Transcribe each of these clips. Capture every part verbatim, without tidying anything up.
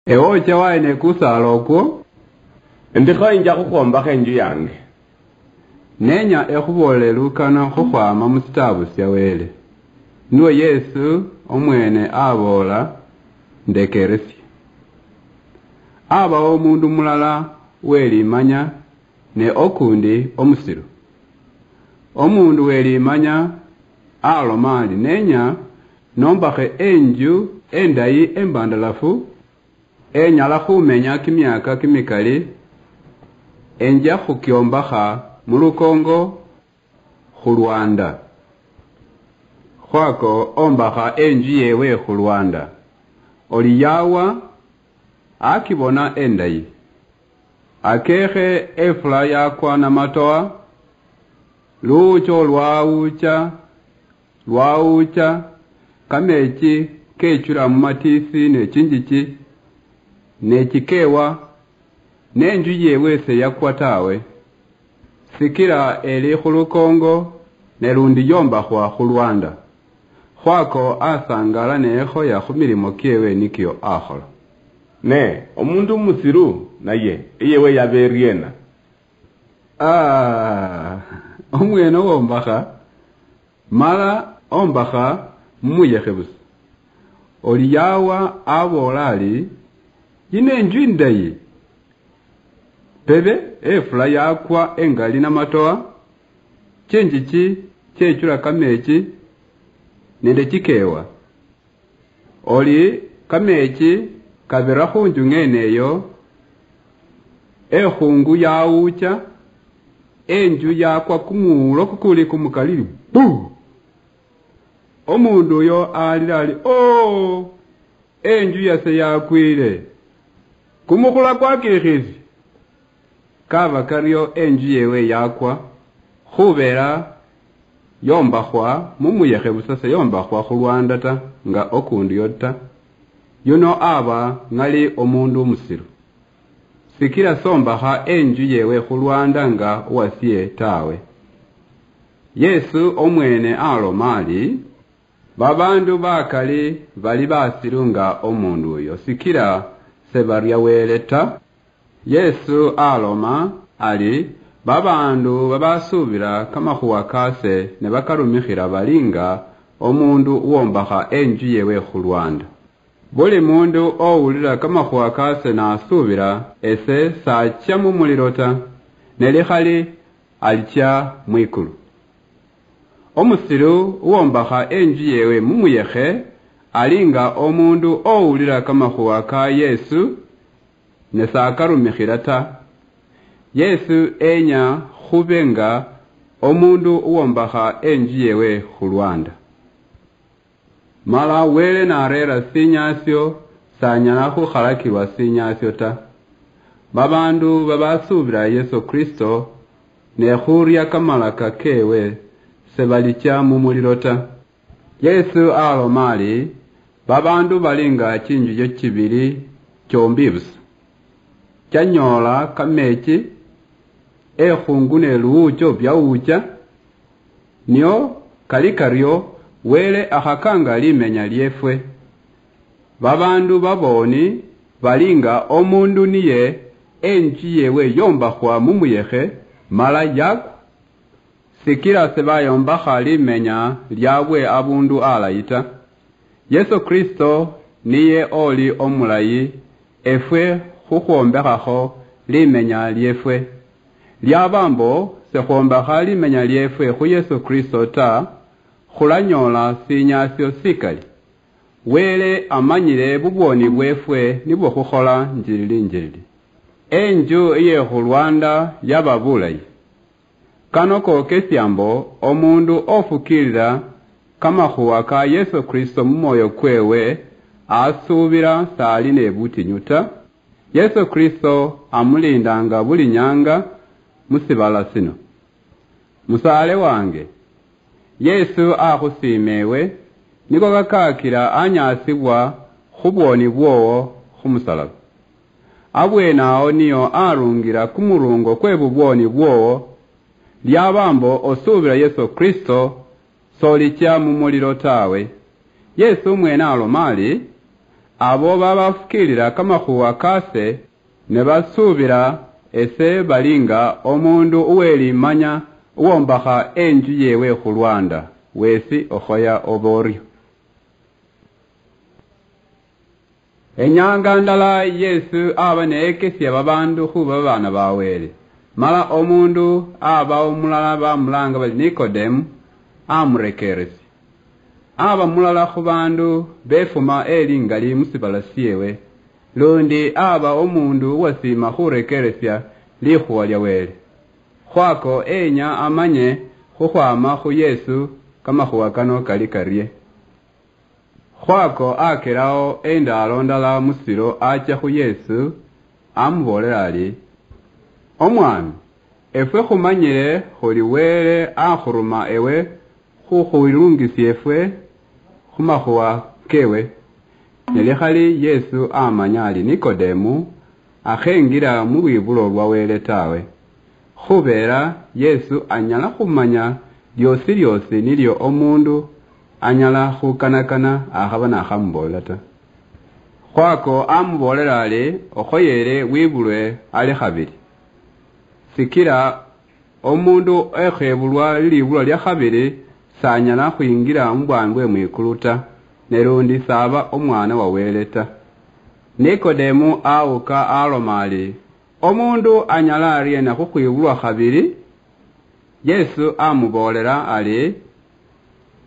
Ewe ocha wayi ne kusaala okwo? Ndikho inja khukhwombakha inju yange. Nenya ekhuboolele lukano khukhwama mu sitaabu sia Wele. Nio Yesu omwene aboola, ndekeresie. Abawo omundu mulala welimanya ne okundi omusilu. Omundu welimanya aloma ali, nenya nombakhe enju endayi embandalafu, enyala khumenya kimiaka kimikali, enja khukiombakha mulukongo khulwanda. Khwako ombakha enju yewe khulwanda. Oli yawa akibona endayi. Akekhe efula yakwa namatoa, luwucha olwawucha, lwawucha, kamechi kechula mumatiisi nechinjichi, nechikewa, nenju yewe seyakwa tawe, sikila eli khulukongo, ne lundi yombakhwa khulwanda. Khwako asangala neyekhoya khumilimo kiewe nikio akhola. Ne omundu omusilu naye eyewe yaba eriena? Aa, omwene owombakha, mala ombakha mumuyekhe busa. Oli yawa aboola ali, yino enju indayi. Pebe efula yakwa engali namatoa, chinjichi chechula kamechi nende chikewa. Oli kamechi kabira khunju ng'ene eyo, ekhungu yawucha, enju yakwa kumuwulo kukuli kumukalili, buu! Omundu uyo alila ali, oo! Enju yase yakwile! Kumukhula kwakikhisi! Kaba kario enju yewe yakwa, khubela yombakhwa mumuyekhe busa, seyombakhwa khulwanda ta, nga okundi uyo ta. Yuno aba ng'ali omundu omusilu, sikila sombakha enju yewe khulwanda nga owasie tawe. Yesu omwene aloma ali, babaandu bakali bali basilu nga omundu uyo, sikila sebaria Wele ta. Yesu aloma ali, babaandu babasuubila kamakhuwa kaase ne bakarumikhila bali nga omundu uwombakha enju yewe khulwanda. Buli mundu owulila kamakhuwa kaase nasuubila ese, sachia mumulilo ta, ne likhali alichia mwikulu. Omusilu uwombakha enju yewe mumuyekhe ali nga omundu owulila kamakhuwa ka Yesu ne sakarumikhila ta. Yesu enya khube nga omundu uwombakha enju yewe khulwanda. Mala Wele nareera sinyaasio, sanyala khukhalakilwa sinyaasio ta. Babaandu babasuubila Yesu Kristo ne khuria kamalaka kewe, sebalichia mumulilo ta. Yesu aloma ali, babaandu bali nga chinjuyo chibili chombi busa, chanyoola kamechi, ekhungu ne luwucho biawucha, nio kali kario, Wele akhakanga limenya liefwe. Babaandu babooni bali nga omundu niye enju yewe yombakhwa mumuyekhe, mala yakwa, sikila sebayombakha limenya liabwe abundu alayi ta. Yesu Kristo niye oli omulayi efwe khukhwombekhakho limenya liefwe. Liaba mbo sekhwombakha limenya liefwe khu Yesu Kristo ta, khulanyoola sinyaasio sikali. Wele amanyile bubwoni bwefwe nibwo khukhola njilili njilili. Enju iye khulwanda yaba bulayi. Kano kokesia mbo omundu ofukiilila kamakhuwa ka Yesu Kristo mumwoyo kwewe, asuubila sali ne butinyu ta. Yesu Kristo amulindanga buli nyanga musibala sino. Musaale wange, Yesu akhusiima ewe, niko kakakila anyaasibwa khubwoni bwowo khumusalaba. Abwenawo niyo arungila kumurungo kwe bubwoni bwowo. Liaba mbo osuubila Yesu Kristo, solichia mumulilo tawe. Yesu mwene aloma ali, Abo babafukiilila kamakhuwa kaase ne basuubila ese bali nga omuundu uwelimanya uwombakha enju yeewe khu lwaanda, weesi okhoya oba oryo. Enyaanga ndala Yesu aba neyekesia babaandu khuuba babaana ba Wele, mala omuundu aba omulala bamulaanga bali Nikodemu amurekeresia. Aba mulala khu baandu befuma eli ngali mu sibala syeewe, lundi aba omuundu uwasiima khurekeresia likhuwa lya Wele. Khwako enya amanye khukhwaama khu Yesu kamakhuwa kano kali karye. Khwako akelawo endaalo ndala mu silo achia khu Yesu, amuboolela ari, "Omwami, efwe khumanyile khuli Wele akhuruma ewe khukhwilungisie efwe khu makhuwa kewe." Ne likhali Yesu amanya ari Nikodemu akhengira mu lwibulo lwa Wele tawe, khubeera Yesu anyala khumanya lyoosi lyoosi nilyo omuundu anyala khukanakana akhaba nakhamuboolela ta. Khwako amuboolela ari, "Okhoyeele wibulwe ali khabili." Sikila omuundu okhebulwa lilibulwa lya khabili s'anyala khwingira mu bwami bwe mwikulu ta, ne lundi s'aba omwana wa Wele ta. Nikodemu awuka aloma ari, "Omuundu anyala ariena khukhwibulwa khabili?" Yesu amuboolela ari,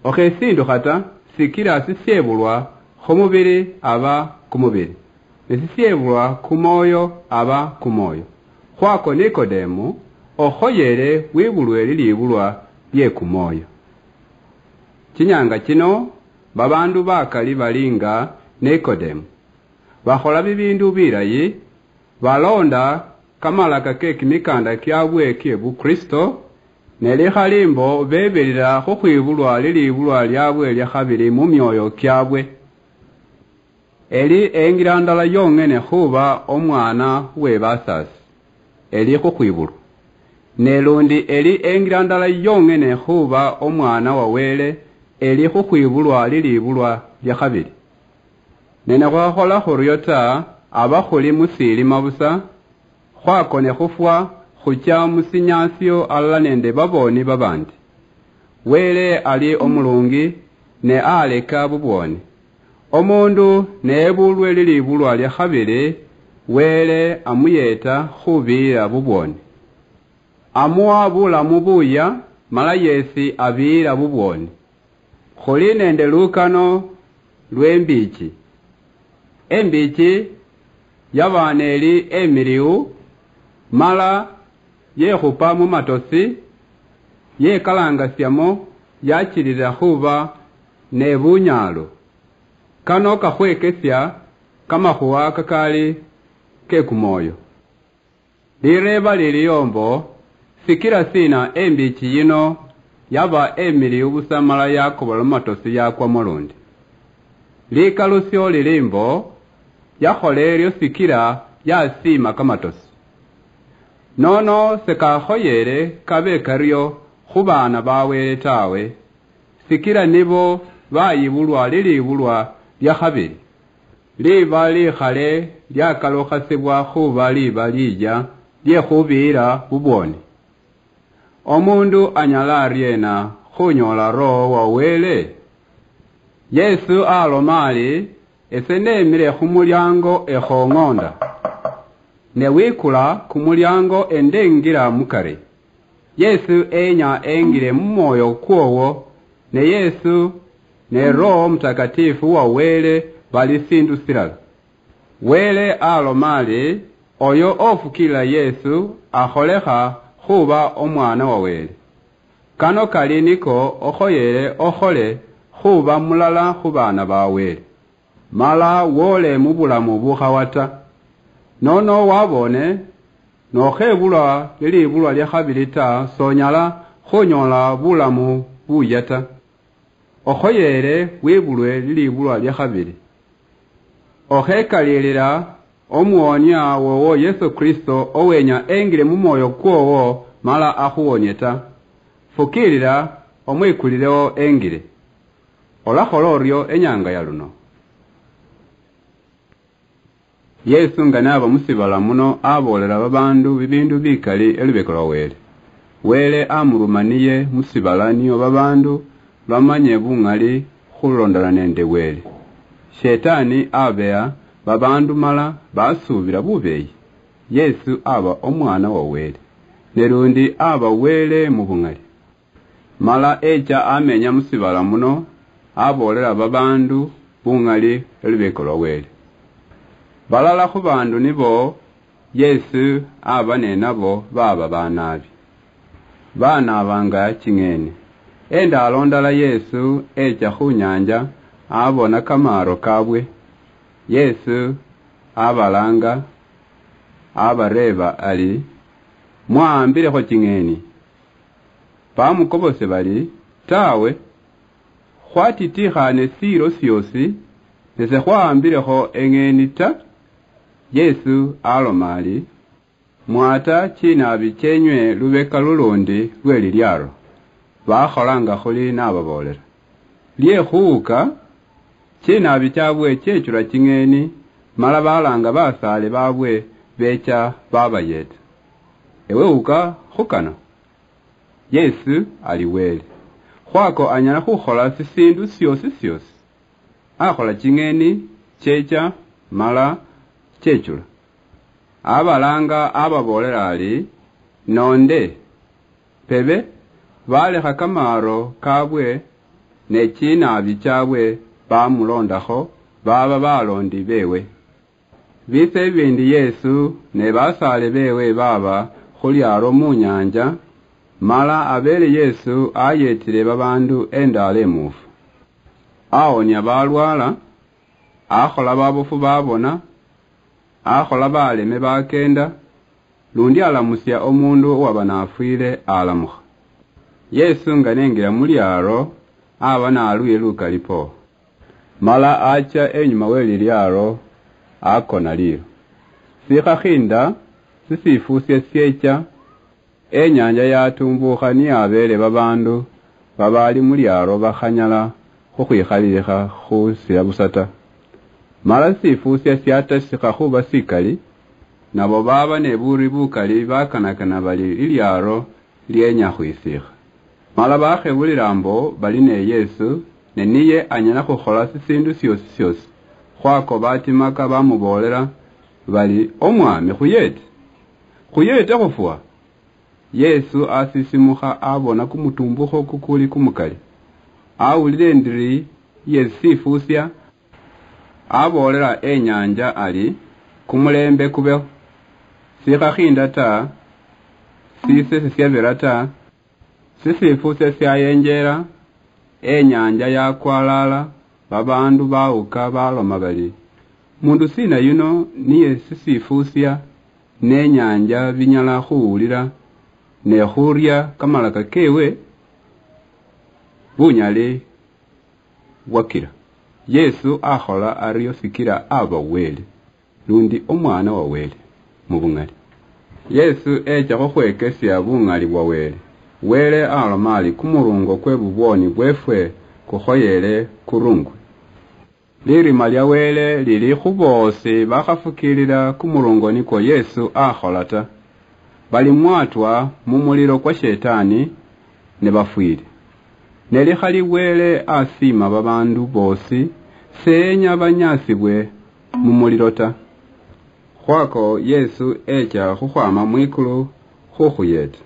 "Okhesindukha ta, sikila sisiebulwa khumubili aba kumubili, ne sisiebulwa kumwoyo aba kumwoyo. Khwako Nikodemu, okhoyele wibulwe lilibulwa liekumwoyo." Chinyanga chino, babaandu bakali bali nga Nikodemu, bakhola bibiindu bilayi, baloonda kamalaka ke kimikaanda kyaabwe kye Bukristo, ne likhali mbo bebirira khukhwibulwa lilibulwa lyaabwe lya khabili mu myooyo kyaabwe. Eli engira ndala yong'ene khuuba omwaana we basaasi, eli khukhwibulwa. Ne lundi eli engira ndala yong'ene khuuba omwaana wa Wele, eli khukhwibulwa lilibulwa lya khabili. Ne nikhwakhola khurio ta, aba khuli mu siilima busa, khwakone khufwa, khuchia mu sinyaasio alala nende babooni babandi. Wele ali omulungi, ne aleka bubwoni. Omuundu neyebulwe lilibulwa lya khabili, Wele amuyeeta khubiira bubwoni. Amuwa bulamu buuyia, mala yesi abiira bubwoni. Khuli nende lukano lwembichi. Embichi yaba neli emiliu, mala yekhupa mumatosi, yekalangasiamo, yachilila khuba nebunyaalo. Kano kakhwekesia kamakhuwa kakali kekumwoyo. Lireeba lilio mbo, sikila sina embichi yino yaba emiliu busa mala yakobola mumatosi yakwamo lundi? Likalusio lili mbo, yakhola erio sikila yasiima kamatosi. Nono sekakhoyele kabe kario khubaana ba Wele tawe, sikila nibo bayibulwa lilibulwa lya khabili. Liba likhale liakalukhasibwa khuba liba liya liekhubiira bubwoni. Omuundu anyala ariena khunyoola Roho wa Wele? Yesu aloma ari, "Ese nemile khumuliango ekhong'onda. Ne wikula kumuliango endengira mukari." Yesu enya engile mumwoyo kwoowo, ne Yesu ne Roho Mutakatifu wa Wele bali siindu silala. Wele aloma ari, oyo ofukiilila Yesu akholekha khuba omwana wa Wele. Kano kali niko okhoyele okhole khuba mulala khubaana ba Wele, mala woole mubulamu bukhawa ta. Nono wabone, nokhebulwa lilibulwa liakhabili ta, sonyala khunyola bulamu buya ta. Okhoyele wibulwe lilibulwa liakhabili. Okhekalilila Omuwonia wowo Yesu Kristo owenya engile mumwoyo kwowo mala akhuwonie ta. Fukiilila omwikulilewo engile. Olakhola orio enyanga yaluno. Yesu nga naba musibala muno, aboolela babaandu bibiindu bikali elubeka lwa Wele. Wele amuruma niye musibala nio babaandu bamanye buŋali khulondana nende Wele. Shetani abeha babaandu mala basuubila bubeeyi. Yesu aba Omwana wa Wele, ne lundi aba Wele mu buŋali. Mala echa amenya musibala muno, aboolela babaandu buŋali elubeka lwa Wele. Balala khu baandu nibo Yesu aba nenabo baba banaabi. Banaabanga chiŋeni. Endaalo ndala Yesu echa khu nyaanja, abona kamaaro kabwe. Yesu abalaanga, abareeba ari, "Mwahambilekho chiŋeni?" Bamukobose bari, "Tawe, khwatitikhane siiro siosi, ne sekhwahambilekho eŋeni ta." Yesu aloma ari, "Mwata chinaabi chenywe lubeka lulundi lwe lilyaaro." Bakhola nga khuli nababoolela. Liekhuuka, chinaabi chabwe chechula chiŋeni, mala balaanga basaale babwe becha babayeeta. "Ewe wuka khu kano." Yesu ali Wele. Khwako anyala khukhola sisiindu siosi siosi. Akhola chiŋeni checha mala chechula. Abalaanga ababoolela ari, "Noonde, pebe, balekha kamaaro kabwe ne chinaabi chabwe bamuloondakho, baba baloondi beewe." Biitsa ebiindi Yesu ne basaale beewe baaba khu lyaalo mu nyaanja, mala abeele Yesu ayeetile babaandu endaalo emuufu. Awonia balwaala, akhola babofu babona, akhola baleme bakeenda, lundi alamusia omuundu owaba nafwiile alamukha. Yesu nga nengira mu lyaalo, aba nalwile lukali po. Mala acha enyuma we lilyaalo, akona liilo. Sikhakhinda sisifusia siecha, enyaanja yatumbukha niyabeele babaandu babaali mu lyaalo bakhanyala khukhwikhalilikha khusila busa ta. Mala sisifusia siatasikha khuba sikali, nabo baaba ne buuri bukali bakanakana bali lilyaalo lienya khwisikha. Mala bakhebulila mbo bali ne Yesu, ne niye anyala khukhola sisiindu siosi siosi. Khwako batimaka bamuboolela bali, "Omwami, khuyeete! Khuyeete khufwa!" Yesu asisimukha abona kumutumbukho kukuli kumukali. Awulila indiri ye sifusia, aboolela enyaanja ari, "Kumuleembe kubeho." Sikhakhinda ta, sise sisiabira ta, sisifusia siayenjeela, enyaanja yakwalaala, babaandu bawuka baloma bari, "Mundu siina yuno niye sisifusia ne nyaanja binyala khuwulila ne khuria kamalaka kewe?" Bunyali bwakira. Yesu akhola ario sikila aba Wele, lundi Omwana wa Wele mu buŋali. Yesu echa khukhwekesia buŋali bwa Wele. Wele aloma ari, "Kumurungo kwe bubwoni bwefwe kukhoyele kurungwe." Lirima lia Wele lili khu boosi bakhafukiilila kumurungo nikwo Yesu akhola ta. Balimwatwa mu mulilo kwa Shetani ne bafwiile. Ne likhali Wele asiima babaandu boosi, seenya banyaasibwe mu mulilo ta. Khwako Yesu echa khukhwama mwikulu khukhuyeeta.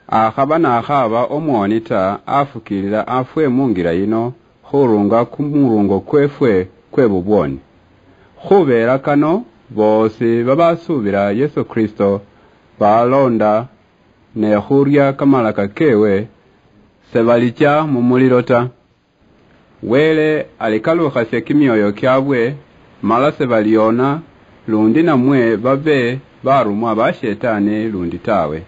Akhaba nakhaba omwoni ta, afukiilila afwe mungira yino khurunga kumurungo kwefwe kwe bubwoni. Khubeela kano, boosi babasuubila Yesu Kristo baloonda ne khuria kamalaka kewe, sebalicha mu mulilo ta. Wele alikalukhasia kimioyo kiabwe, mala sebaliona lundi namwe babe barumwa ba Shetani lundi tawe.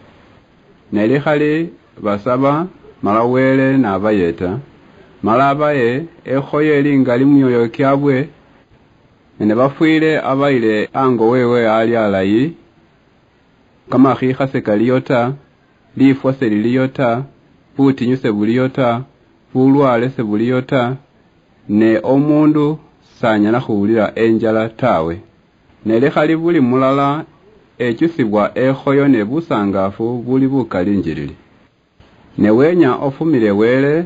Ne likhali basaba, mala Wele nabayeta, mala abaye ekhoyeli ngali mumioyo kiabwe, ne nibafwile abayile ango wewe ali alayi, kamakhiikha sekaliyo ta, lifwa seliliyo ta, butinyu sebuliyo ta, bulwale sebuliyo ta, ne omundu sanyala khuwulila enjala tawe. Ne likhali buli mulala echusibwa ekhoyo ne busangaafu buli bukali njilili. Ne wenya ofumile Wele,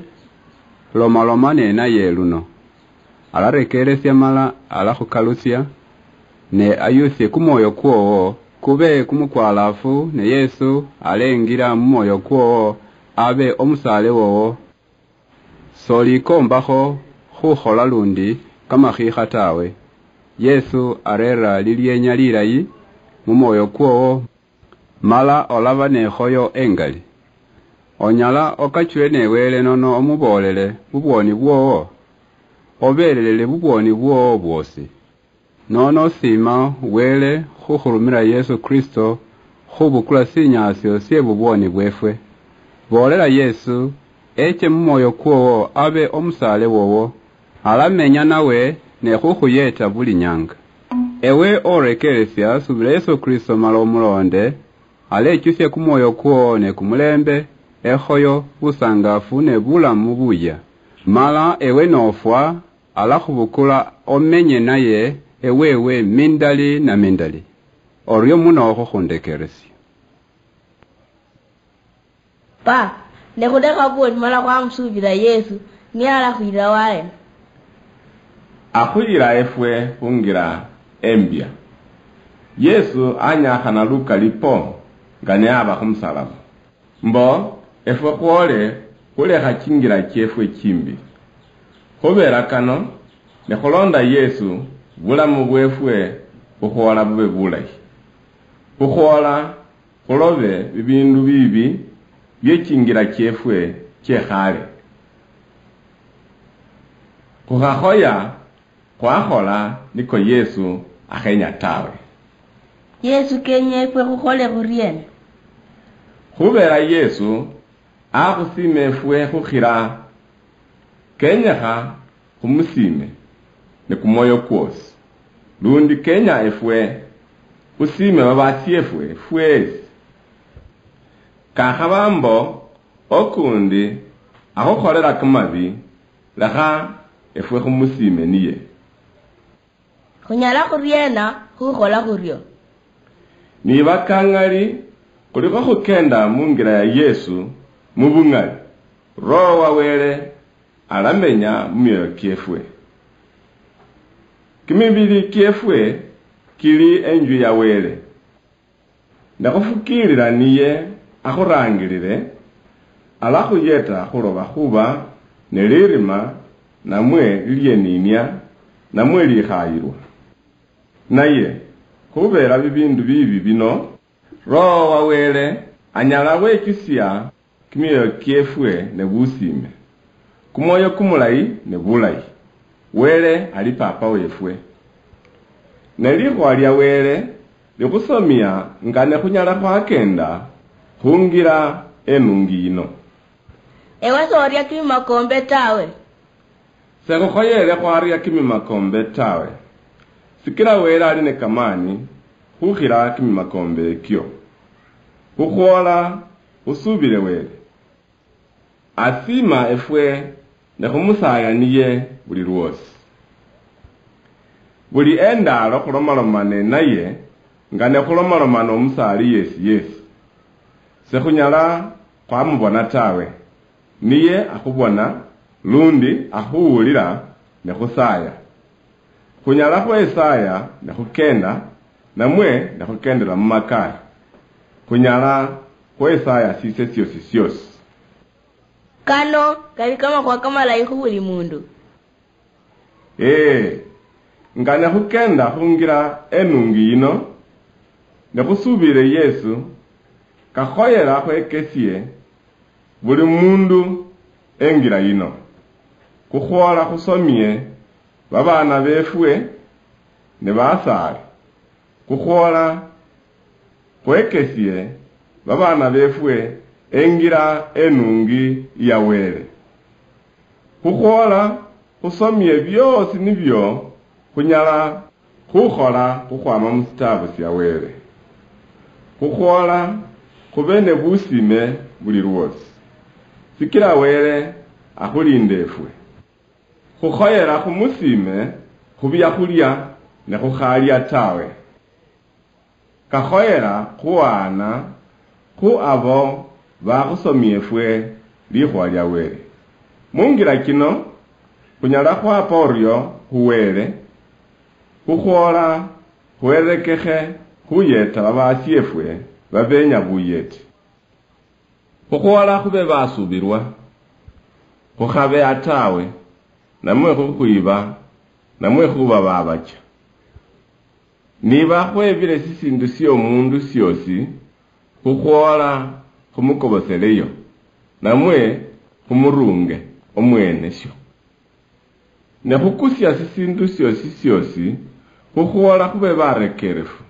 lomaloma nenaye luno. Alarekeresia mala alakhukalusia, ne ayusie kumwoyo kwowo kube kumukwalaafu, ne Yesu alengira mumwoyo kwowo abe omusaale wowo. Solikoombakho khukhola lundi kamakhiikha tawe. Yesu areera lilienya lilayi mumwoyo kwowo, mala olaba nekhoyo engali. Onyala okachule ne Wele nono omuboolele bubwoni bwowo, obeelelele bubwoni bwowo bwosi. Nono siima Wele khukhurumira Yesu Kristo khubukula sinyaasio sie bubwoni bwefwe. Boolela Yesu eche mumwoyo kwowo abe omusaale wowo, alamenya nawe ne khukhuyeeta buli nyanga. Ewe orekeresia, subila Yesu Kristo mala omuloonde, alechusia kumwoyo kwowo ne kumulembe, ekhoyo, busangaafu ne bulamu buyia. Mala ewe nofwa, alakhubukula omenye naye ewewe mindali na mindali. Orio muno khukhundekeresia. Pa, ne khulekha buoni mala khwamusuubila Yesu, niye alakhuyila waena? Akhuyila efwe khungira embia. Yesu anyakhana lukali po nga niyaba khumusalaba. Mbo efwe khwole khulekha chingira chiefwe chimbi. Khubera kano, nikhulonda Yesu, bulamu bwefwe bukhwola bube bulayi. Bukhwola khulobe bibindu bibi bie chingira chiefwe chie khale. Khukhakhoya khwakhola niko Yesu akhenya tawe. Yesu kenya efwe khukhole khuriena? Khubera Yesu akhusiima efwe khukhira, kenyekha khumusiime ni kumwoyo kwosi. Lundi kenya efwe khusiime babaashiefwe fweesi. Kakhaba mbo okundi akhukholela kamabi, lekha efwe khumusiime niye. Khunyala khuriena khukhola khurio? Niba kang'ali khulikho khukenda mungira ya Yesu mubung'ali, Roho wa Wele alamenya mumioyo kiefwe. Kimibili kiefwe kili enju ya Wele. Nekhufukiilila niye akhuraangilile, alakhuyeta khuloba khuba ni lirima namwe lilyeninia namwe likhaayilwa. Naye, khubeela bibiindu biibi bino, Roho wa Wele anyala wechusia kimioyo kiefwe ne busiime. Kumwoyo kumulayi ne bulayi. Wele ali Paapa weefwe. Ne likhuwa lia Wele likhusomia nga ne khunyala khwakenda khungira enungi yino. Ewe soria kimimakombe tawe. Sekhukhoyele khwaria kimimakombe tawe, sikila Wele ali ne kamaani khukhila kimimakombe ekio. Khukhwola khusubile Wele. Asiima efwe ne khumusaaya niye buli lwoosi. Buli endaalo khulomaloma nenaye nga ne khulomaloma nomusaali yesi yesi. Sekhunyala khwamubona tawe. Niye akhubona, lundi akhuwulila ne khusaaya. Khunyala khwesaaya ne khukenda, namwe ne khukendela mumakaari. Khunyala khwesaaya sise siosi siosi. Kano kali kamakhuwa kamalayi khu buli mundu. Ee, nga ne khukenda khungira enungi yino, ne khusuubile Yesu, kakhoyela khwekesie buli mundu engira yino. Khukhwola khusomie babaana befwe ne basaale. Khukhwola khwekesie babaana befwe engira enungi ya Wele. Khukhwola khusomie bioosi nibio khunyala khukhola khukhwama musitaabu sia Wele. Khukhwola khube ne busiime buli lwoosi, sikila Wele akhulinda efwe. Khukhoyela khumusiime khu biakhulia ne khukhalia tawe. kakhoyera khuhaana khu abo bakhusomia efwe likhuwa lia Wele. Mungira chino, khunyala khwapa orio khu Wele, khukhwola khwerekekhe khuyeta babasiefwe babenya buyeti. Khukhwola khube basuubilwa, khukhabeha tawe, namwe khukhwiba, namwe khuba babacha. Niba khwebile sisiindu siomuundu siosi, khukhwoola khumukoboseleyo, namwe khumurunge omwene syo. Ne khukusia sisiindu siosi siosi, khukhwoola khube barekerefu,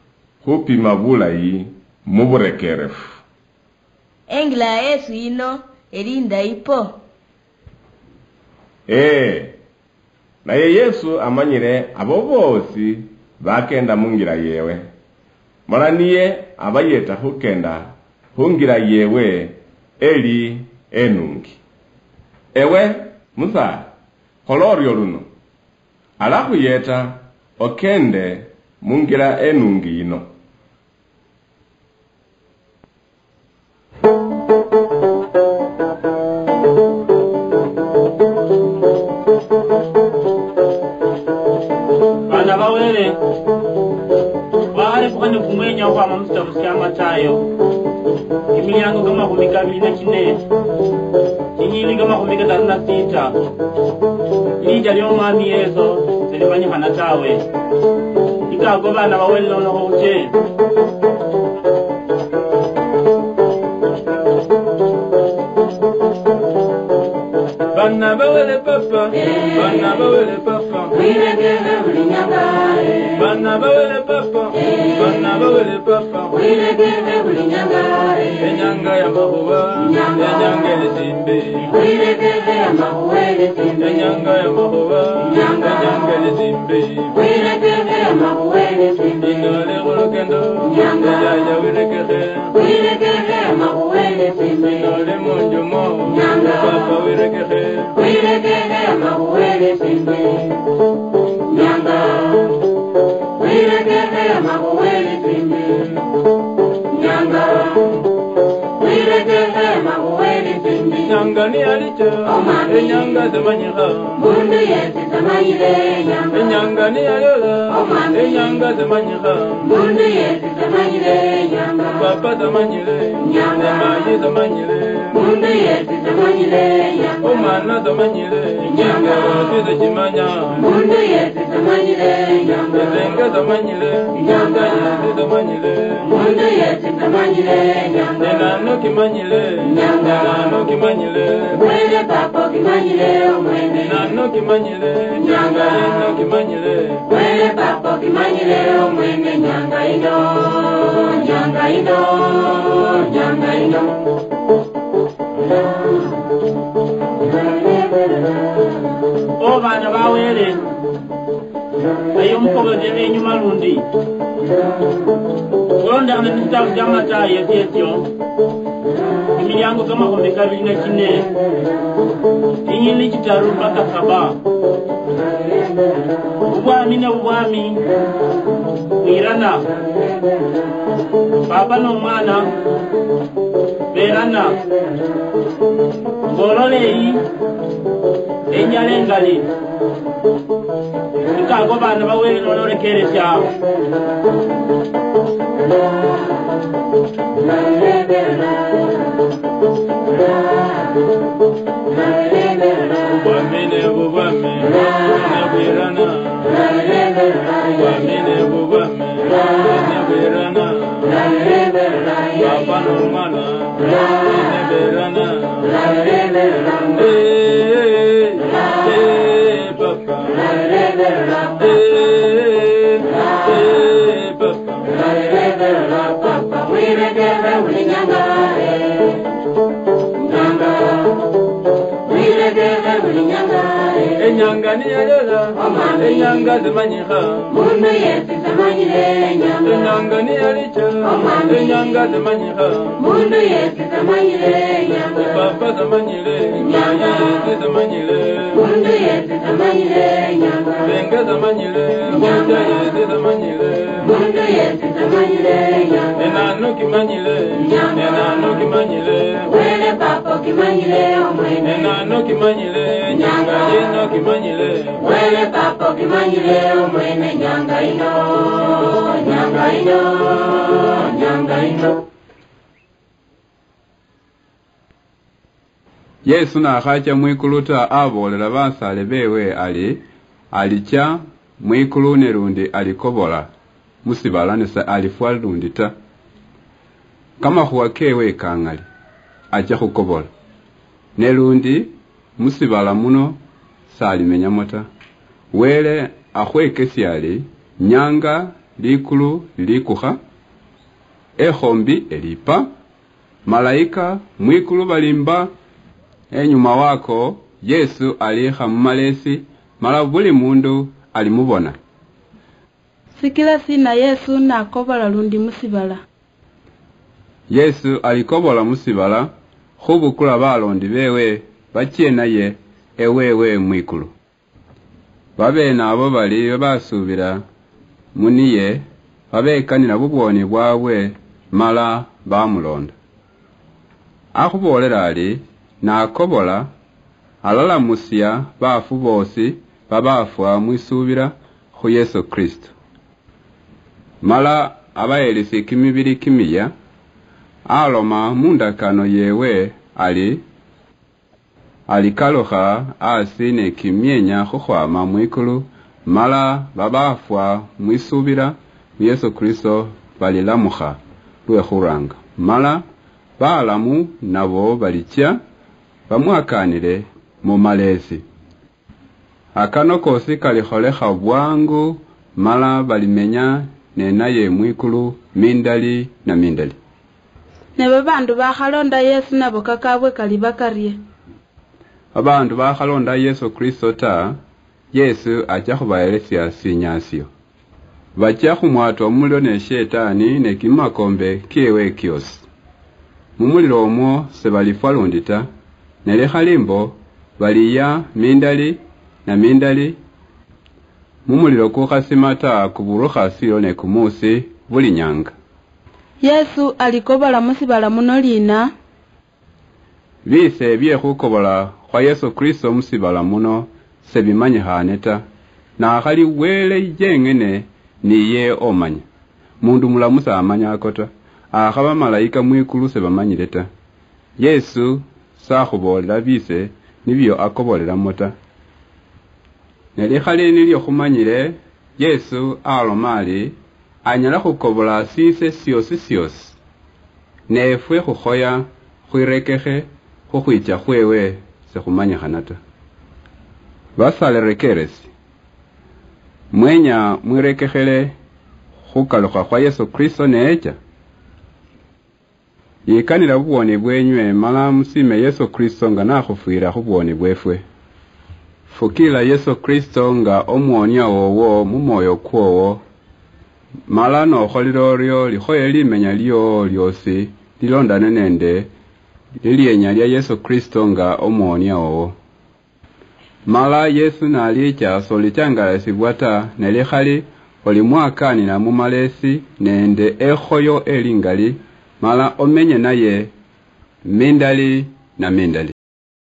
khupima bulayi mu burekerefu. Engila ya Yesu yino eli indayi po. Ee, naye Yesu amanyile abo boosi bakenda mungira yewe, mala niye abayeta khukenda khungira yewe eli enungi. Ewe musaala, khola orio luno, alakhuyeta okende mungira enungi yino. Baana ba Wele, khwakhalefukha ni kumwenya okhwama mu sitabu sya Matayo, kimiliango kamakhumi kabili na kine, chinyilili kamakhumi kataru na sita. Licha lya Omwami Yesu silimanyikhana tawe. Ikako baana ba Wele nono khuche. Bana bawele papa, bana bawele papa. Bana bawele papa, bana bawele papa. Enyanga ya makhuba, enyanga elisimbi. Enyanga ya makhuba, enyanga elisimbi. Inole khulukendo, yaya wirekekhe. Khwirekekhe amakhuwa nende tsimbi. Noli munju mo, Nyanga. Papa wirekekhe. Khwirekekhe amakhuwa nende tsimbi. Nyanga. Khwirekekhe amakhuwa nende tsimbi. Nyanga. Khwirekekhe amakhuwa nende tsimbi. Nyanga niyalicha, omwami. Enyanga zimanyikha. Mundu yesi samanyire nyanga. Enyanga niyaliola, omwami. Enyanga zimanyikha. Mundu yesi samanyire nyanga. Papa samanyire, nyanga. Mayi samanyire. Mundu yesi samanyire nyanga. Omwana samanyire, nyanga. Sise chimanya. Mundu yesi samanyire nyanga. Esenga samanyire, nyanga. Yesi samanyire. Mundu yesi samanyire nyanga. Enano kimanyire, nyanga. Enano kimanyire. Wele papa okimanyire omwene. Enano kimanyire, nyanga. Enano kimanyire. Wele papa okimanyire omwene nyanga ino, nyanga ino, nyanga ino. O baana ba Wele, eyo mukobolere enyuma lundi. Khulondekhana ni sitabu sia Matayo esiesio, emiliango kamakhumi kabili na chine, chinyilili chitaru mpaka saba. Obwami ne obwami bwirana. Papa no mwana berana. Ngolole eyi enjala engali. Nikago bana bawele nololekeresya. Obwami ne bubwami, nebwirana. Obwami ne bubwami, nebwirana. Papa no mwana, nebwirana. Eh, eh, papa. Eh, eh, papa. Enyanga niyalola, enyanga zimanyikha. Mundu yesi samanyire enyanga. Inyanga niyalicha, omwami, inyanga simanyikha. Mundu yesi samanyile inyanga. Papa samanyile, inyanga. Yesi samanyile. Mundu yesi samanyile inyanga. Senge samanyile, inyanga. Mucha yesi samanyile. Mundu yesi samanyile inyanga. Enano kimanyile, inyanga. Enano kimanyile. Wele papa okimanyile omwene. Enano kimanyile, inyanga. Inyanga. Yeno kimanyile. Wele papa okimanyile omwene nyanga ino, nyanga ino, nyanga ino. Yesu nakhacha mwikulu ta, aboolela basaale bewe ali, alicha mwikulu ne lundi alikobola musibala ne sa alifwa lundi ta. Kamakhuwa kewe kangali, acha khukobola. Ne lundi musibala muno salimenyamo ta. Wele akhwekesia ali, nyanga likulu lilikukha, ekhombi elipa, malaika mwikulu balimba. Enyuma wako, Yesu alikha mumaleesi, mala buli mundu alimubona. Sikila sina Yesu nakobola lundi musibala? Yesu alikobola musibala khubukula balondi bewe bachie naye ewewe mwikulu. Babeene abo bali babasuubila muniye, babekanila bubwoni bwabwe, mala bamuloonda. Akhuboolela ali, nakobola, alalamusia baafu boosi babaafwa mwisuubila khu Yesu Kristo. Mala abaheelesie kimibili kimia, aloma mundakano yewe ali, alikalukha asi ne kimienya khukhwama mwikulu, mala babaafwa mwisuubila mu Yesu Kristo balilamukha lwe khuranga, mala balamu nabo balichia bamwakanile mu maleesi. Akano koosi kalikholekha bwangu, mala balimenya nenaye mwikulu mindali na mindali. Ne babaandu bakhalonda Yesu nabo kakaabwe kaliba karie? Babaandu bakhalonda Yesu Kristo ta, Yesu achia khubaheelesia sinyaasio. Bachia khumwatwa mumulilo ne Shetani ne kimakombe kiewe kiosi. Mumulilo omwo sebalifwa lundi ta, ne likhali mbo baliya mindali na mindali, mumulilo kukhasima ta kuburukha silo ne kumuusi buli nyanga. Yesu alikobola musibala muno liina? Biise bye khukobola khwa Yesu Kristo musibala muno sebimanyikhaane ta, nakhali Wele yeng'ene niye omanya. Mundu mulamu samanya ako ta, akhaba bamalayika mwikulu sebamanyile ta. Yesu sakhuboolela biise nibio akobolelamo ta. Ne likhali nilio khumanyile, Yesu aloma ali, anyala khukobola siise siosi siosi. Ne efwe khukhoya khwirekekhe khukhwicha khwewe sikhumanyikhana ta. Basalerekeresi, mwenya mwirekekhele khukalukha khwa Yesu Kristo neecha? Yikanila bubwoni bwenywe, mala musiime Yesu Kristo nga nakhufwila khubwoni bwefwe. Fukiila Yesu Kristo nga omuwonia wowo mumwoyo kwowo, mala nokholile orio likhoye limenya liowo liosi lilondane nende lilienya lia Yesu Kristo nga omuwonia wowo. Mala Yesu nalicha solichangalasibwa ta, ne likhali olimwakaanila mumaleesi nende ekhoyo elingali, mala omenye naye mindali na mindali.